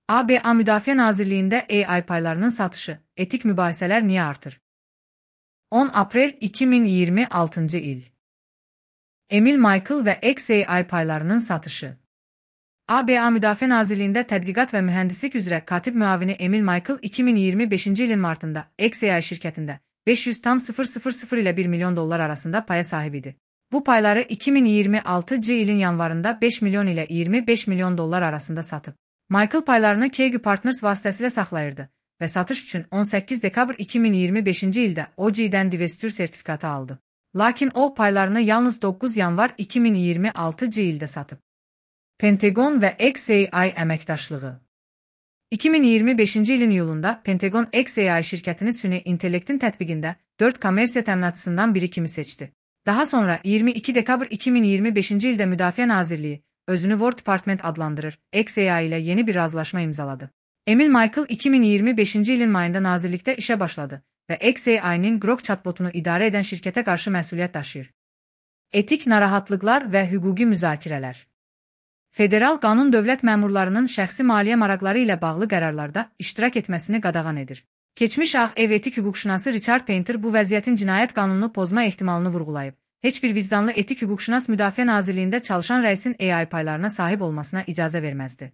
ABA Müdafiə Nazirliyində AI paylarının satışı, etik mübahisələr niyə artır? 10 Aprel 2026 il. Emil Michael və XAI paylarının satışı. ABA Müdafiə Nazirliyində Tədqiqat və Mühəndislik üzrə katib müavini Emil Michael 2025-ci ilin martında XAI şirkətində 500,000 ilə $1 milyon arasında paya sahib idi. Bu payları 2026 ilin yanvarında 5 milyon ilə 25 milyon dollar arasında satıb. Michael paylarını Kegu Partners vasitəsilə saxlayırdı və satış üçün 18 dekabr 2025-ci ildə OG-dən divestiyor sertifikatı aldı. Lakin o paylarını yalnız 9 yanvar 2026 ildə satıb. Pentagon və XAI əməkdaşlığı. 2025-ci ilin iyulunda Pentagon XAI şirkətini süni intellektin tətbiqində 4 kommersiya təminatçısından biri kimi seçdi. Daha sonra 22 dekabr 2025-ci ildə Müdafiə Nazirliyi özünü War Department adlandırır, XAI ilə yeni bir razılaşma imzaladı. Emil Michael 2025-ci ilin mayında nazirlikdə işə başladı və XAI-nin Grok chatbotunu idarə edən şirkətə qarşı məsuliyyət daşıyır. Etik narahatlıqlar və hüquqi müzakirələr. Federal qanun dövlət məmurlarının şəxsi maliyyə maraqları ilə bağlı qərarlarda iştirak etməsini qadağan edir. Keçmiş Ağ Ev etik hüquqşünası Richard Painter bu vəziyyətin cinayət qanununu pozma ehtimalını vurğulayıb. Heç bir vicdanlı etik hüquqşünas Müdafiə Nazirliyində çalışan rəisin AI paylarına sahib olmasına icazə verməzdi.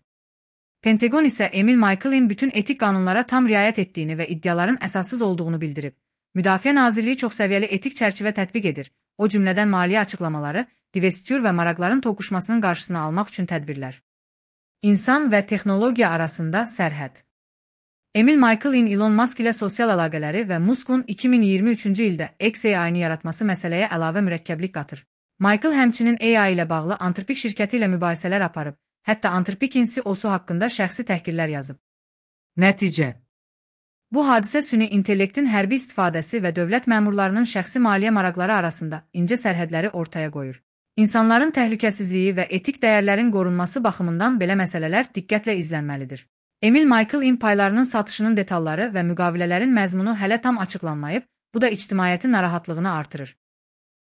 Pentagon isə Emil Michael'in bütün etik qanunlara tam riayət etdiyini və iddiaların əsassız olduğunu bildirib. Müdafiə Nazirliyi çoxsəviyyəli etik çərçivə tətbiq edir, o cümlədən maliyyə açıqlamaları, divestiyor və maraqların toqquşmasının qarşısını almaq üçün tədbirlər. İnsan və texnologiya arasında sərhəd. Emil Michael'in Elon Musk ilə sosial əlaqələri və Musk'un 2023-cü ildə XAI-ni yaratması məsələyə əlavə mürəkkəblik qatır. Michael həmçinin AI ilə bağlı Anthropic şirkəti ilə mübahisələr aparıb, hətta Anthropic CEO-su haqqında şəxsi təhqirlər yazıb. Nəticə. Bu hadisə süni intellektin hərbi istifadəsi və dövlət məmurlarının şəxsi maliyyə maraqları arasında incə sərhədləri ortaya qoyur. İnsanların təhlükəsizliyi və etik dəyərlərin qorunması baxımından belə məsələlər diqqətlə izlənməlidir. Emil Michael'in paylarının satışının detalları və müqavilələrin məzmunu hələ tam açıqlanmayıb, bu da ictimaiyyətin narahatlığını artırır.